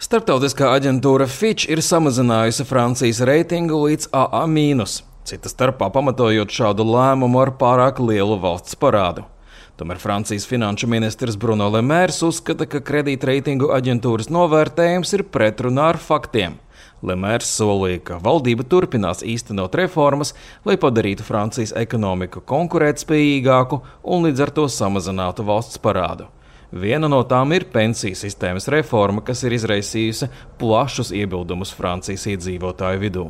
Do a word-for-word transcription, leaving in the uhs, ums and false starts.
Starptautiskā aģentūra Fitch ir samazinājusi Francijas reitingu līdz A A mīnus, cita starpā pamatojot šādu lēmumu ar pārāk lielu valsts parādu. Tomēr Francijas finanšu ministrs Bruno Le Maire uzskata, ka kredītreitingu aģentūras novērtējums ir pretrunā ar faktiem. Le Maire solīja, ka valdība turpinās īstenot reformas, lai padarītu Francijas ekonomiku konkurētspējīgāku un līdz ar to samazinātu valsts parādu. Viena no tām ir pensiju sistēmas reforma, kas ir izraisījusi plašus iebildumus Francijas iedzīvotāju vidū.